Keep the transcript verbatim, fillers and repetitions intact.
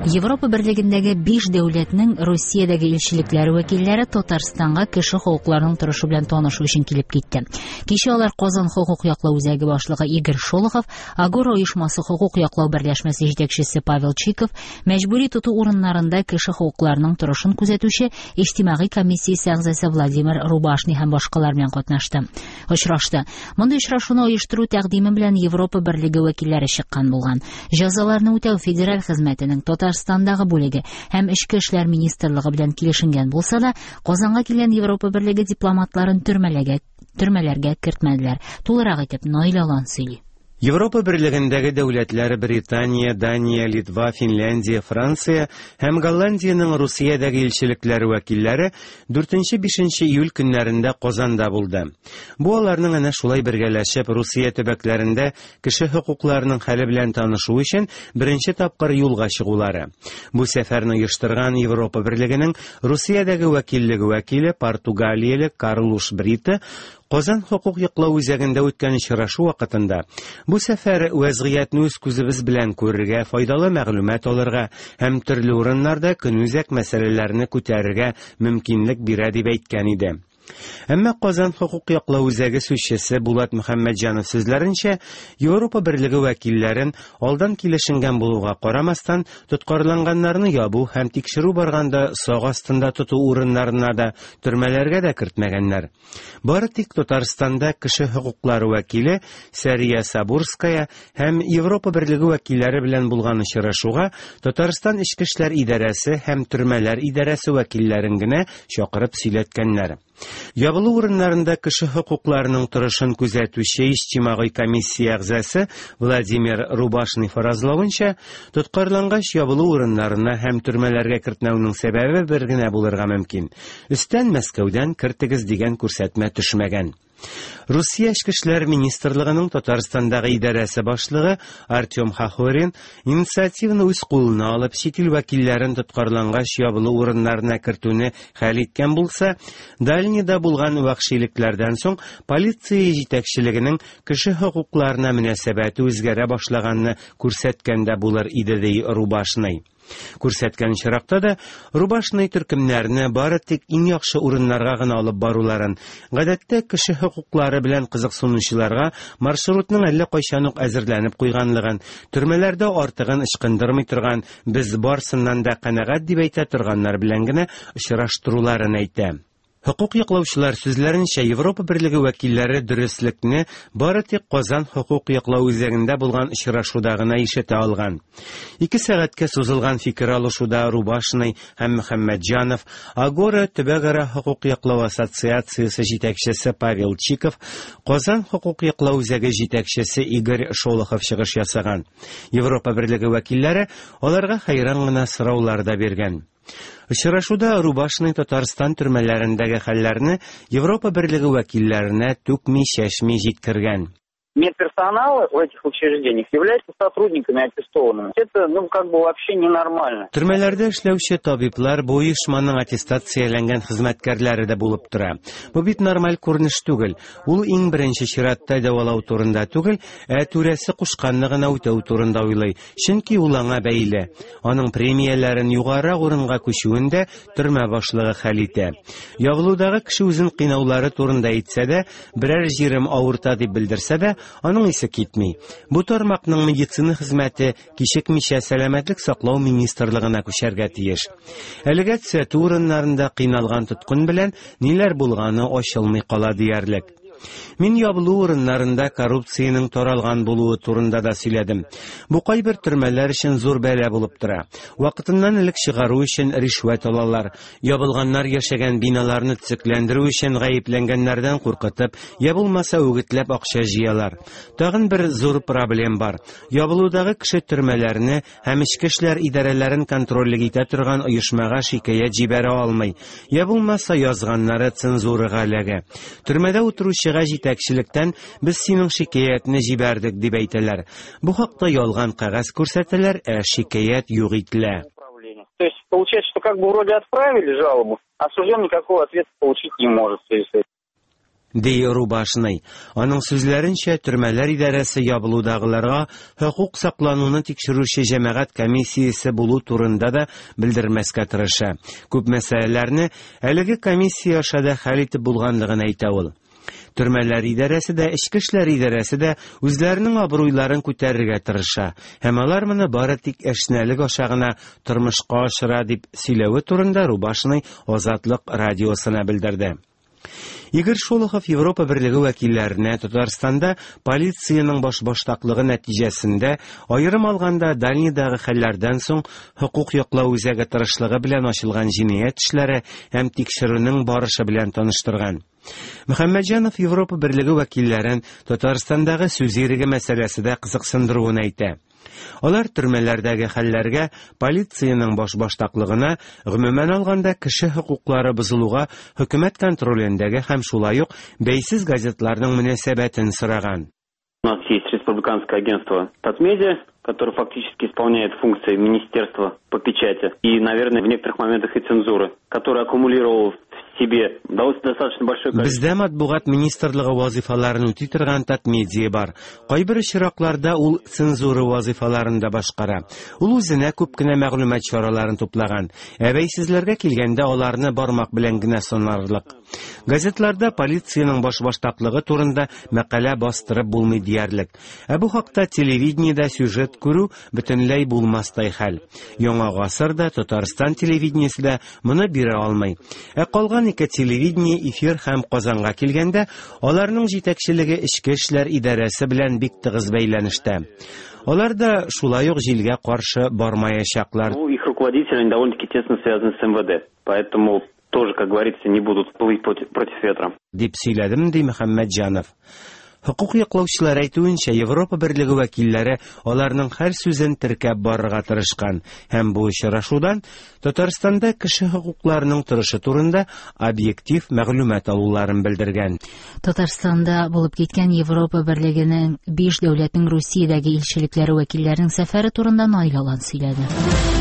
Европа берлегендәге биш дәүләтнең Русиядәге илчелекләре вәкилләре Татарстанга кеше хокукларының торышы белән танышу өчен килеп китте. Кичә алар Казан хокук яклау үзәге башлыгы Игорь Шолохов, Агора оешмасы хокук яклау берләшмәсе җитәкчесе Павел Чиков, мәҗбүри тоту урыннарында кеше хокукларының торышын күзәтүче иҗтимагый комиссиясе әгъзасы Владимир Рубашный һәм башкалар белән катнашты. Очрашты. Мондый очрашуны оештыру тәкъдиме белән Европа берлеге вәкилләре чыккан булган. Җәзаларны үтәү федераль хезмәтенең Татарстандагы бүлеге һәм Эчке эшләр министрлыгы белән килешенгән булса да, Казанга килгән Европа берлеге дипломатларын төрмәләргә, төрмәләргә кертмәделәр. Тулырак итеп Наил Алан сөйли. Европа берлегендәге дәүләтләр Британия, Дания, Литва, Финляндия, Франция һәм Голландиянең Русиядәге илчелекләре вәкилләре дүртенче-бишенче июль көннәрендә Казанда булды. Бу аларның әнә шулай бергәләшеп Русия төбәкләрендә кеше хокукларының хәле белән танышу өчен беренче тапкыр юлга чыгулары. Бу сәфәрне оештырган Европа берлегенең Русиядәге вәкиллеге вәкиле португалияле Карлуш Брита Казан хокук яклау үзәгендә үткән очрашу вакытында бу сәфәр вәзгыятьне үз күзебез белән күрергә, файдалы мәгълүмат алырга һәм төрле урыннарда көнүзәк мәсьәләләрне күтәрергә мөмкинлек бирә дип әйткән иде. Әмма Казан хокук яклау үзәге сүзчесе Булат Мөхәммәтҗанов сүзләренчә, Европа берлеге вәкилләрен алдан килешенгән булуга карамастан, тоткарланганнарны ябу һәм тикшерү барганда сак астында тоту урыннарына да, төрмәләргә дә кертмәгәннәр. Бары тик Татарстанда кеше хокуклары вәкиле Сәрия Сабурская һәм Европа берлеге вәкилләре белән булган очрашуга Татарстан Эчке эшләр идарәсе һәм төрмәләр идарәсе вәкилләрен генә чакырып сөйләткәннәр. Ябылу урыннарында кеше хокукларының торышын күзәтүче иҗтимагый комиссия әгъзасы Владимир Рубашный фаразлавынча, тоткарлангач ябылу урыннарына һәм төрмәләргә кертмәүнең сәбәбе бер генә булырга мөмкин. Өстән Мәскәүдән кертегез дигән күрсәтмә төшмәгән. Русия Эчке эшләр министрлыгының Татарстандагы идарәсе башлыгы Артем Хахорин инициативаны үз кулына алып, чит ил вәкилләрен тоткарлангач ябылу урыннарына кертүне хәл иткән булса, Дальнийда булган вәхшилекләрдән соң полиция җитәкчелегенең кеше хокукларына мөнәсәбәте үзгәрә башлаганны күрсәткән дә булыр иде, ди Рубашный. Күрсәткән очракта да Рубашный төркемнәрне бары тик иң яхшы урыннарга гына алып баруларын, гадәттә кеше хокуклары белән кызыксынучыларга маршрутның әллә кайчан ук әзерләнеп куйганлыгын, төрмәләрдә артыгын ычкындырмый торган, без барсыннан да канәгать дип әйтә торганнар белән генә очраштыруларын әйтә. Хокук яклаучылар сүзләренчә, Европа берлеге вәкилләре дөреслекне бары тик Казан хокук яклау үзәгендә булган очрашуда гына ишетә алган. Ике сәгатькә сузылган фикер алышуда Рубашный һәм Мөхәммәтҗанов, Агора төбәкара хокук яклау ассоциациясе җитәкчесе Павел Чиков, Казан хокук яклау үзәге җитәкчесе Игорь Шолохов чыгыш ясаган. Европа берлеге вәкилләре аларга хәйран гына сораулар да биргән. Очрашуда Рубашный Татарстан төрмәләрендәге хәлләрне Европа берлеге вәкилләренә түкми-чәчми җиткергән. Медперсонал в этих учреждениях является сотрудниками аттестованными. Это, ну, как бы вообще ненормально. Төрмәләрдә эшләүче табиблар бу оешманың аттестацияләнгән хезмәткәрләре дә булып тора. Бу бит нормаль күренеш түгел. Ул иң беренче чиратта дәвалау турында түгел, ә түрәсе кушканны гына үтәү турында уйлый. Чөнки ул аңа бәйле. Аның премияләрен югарырак урынга күчүен дә төрмә башлыгы хәл итә. Ябылудагы кеше үзен кыйнаулары турында әйтсә дә, берәр җирем авырта дип белдерсә дә, аның исе китми. Бу тармакның медицина хезмәте кичекмичә сәламәтлек саклау министрлыгына күчәргә тиеш. Әлегә төзәтү урыннарында кыйналган тоткын белән ниләр булганы ачылмый кала диярлек. Мин ябылу урыннарында коррупциянең таралган булуы турында да сөйләдем. Бу кайбер төрмәләр өчен зур бәла булып тора. Вакытыннан элек чыгару өчен ришвәт алалар. Ябылганнар яшәгән биналарны төзекләндерү өчен гаепләнгәннәрдән куркытып, я булмаса үгетләп акча җыялар. Тагын бер зур проблем бар. Ябылудагы кеше төрмәләрне һәм эчке эшләр идарәләрен контрольлек итә торган оешмага шикаять җибәрә алмый. Я булмаса язганнары цензурага эләгә. Төрмәдә утыручы җитәкчелектән без синең шикаятне җибәрдек дип әйтәләр. Бу хакта ялган кәгазь күрсәтәләр, ә шикаять юк ителә. То есть получается, что как бы вроде отправили жалобу, а осужденный никакого ответа получить не может в связи с этим. Ди Рубашный. Аның сүзләренчә, төрмәләр идарәсе ябылудагыларга хокук саклануны тикшерүче җәмәгать комиссиясе булу турында да белдермәскә тырыша. Күп мәсьәләләрне әлеге комиссия аша да хәл итеп булганлыгын әйтә ул. Төрмәләр идарәсе дә, эчке эшләр идарәсе дә үзләренең абруйларын күтәрергә тырыша һәм алар моны бары тик әшнәлек аша гына тормышка ашыра, дип сөйләве турында Рубашный Азатлык радиосына белдерде. Игорь Шолохов Европа Берлеге вәкилләренә Татарстанда полициянең башбаштаклыгы нәтиҗәсендә, аерым алганда Дальнийдагы хәлләрдән соң хокук яклау үзәге тырышлыгы белән ачылган җинаять эшләре һәм тикшерүнең барышы белән таныштырган. Мөхәммәтҗанов Европа Берлеге вәкилләрен Татарстандагы сүз иреге мәсьәләсе дә кызыксындыруын әйтә. Алар төрмәләрдәге хәлләргә, полициянең башбаштаклыгына, гомумән алганда кеше хокуклары бозылуга хөкүмәт контролендәге һәм шулай ук бәйсез газетларның мөнәсәбәтен сораган. У нас есть республиканское агентство Татмедиа, которое фактически исполняет функции министерства по печати и, наверное, в некоторых моментах и цензуры, которое аккумулировало в себе достаточно большое количество. Бездә матбугат министрлыгы вазифаларын үти торган Татмедиа бар. Кайбер очракларда ул цензура вазифаларын да башкара. Ул үзенә күп кенә мәгълүмат чараларын туплаган. Ә бәйсезләргә килгәндә аларны бармак белән генә санарлык. Газетларда полициянең башбаштаклыгы турында мәкалә бастырып булмый диярлек. Ә бу хакта телевидениедә сюжет күрү бөтенләй булмастай хәл. Яңа гасыр да, Татарстан телевидениесе дә моны бирә алмый. Ә калган ике телевидение эфир һәм Казанга килгәндә, аларның җитәкчелеге эчке эшләр идарәсе белән бик тыгыз бәйләнештә. Алар да шулай ук җилгә каршы бармаячаклар. Ну, их руководители они довольно-таки тесно связаны с эм вэ дэ, поэтому тоже, как говорится, не будут плыть против, против ветра. Дип сөйләдем, ди Мөхәммәтҗанов. Хокук яклаучылар әйтүенчә, Европа Берлеге вәкилләре аларның һәр сүзен теркәп барырга тырышкан һәм бу очрашудан Татарстанда кеше хокукларының торышы турында объектив мәгълүмат алуларын белдергән. Татарстанда булып киткән Европа Берлегенең биш дәүләтнең Русиядәге илчелекләре вәкилләренең сәфәре турында Наил Алан сөйләде.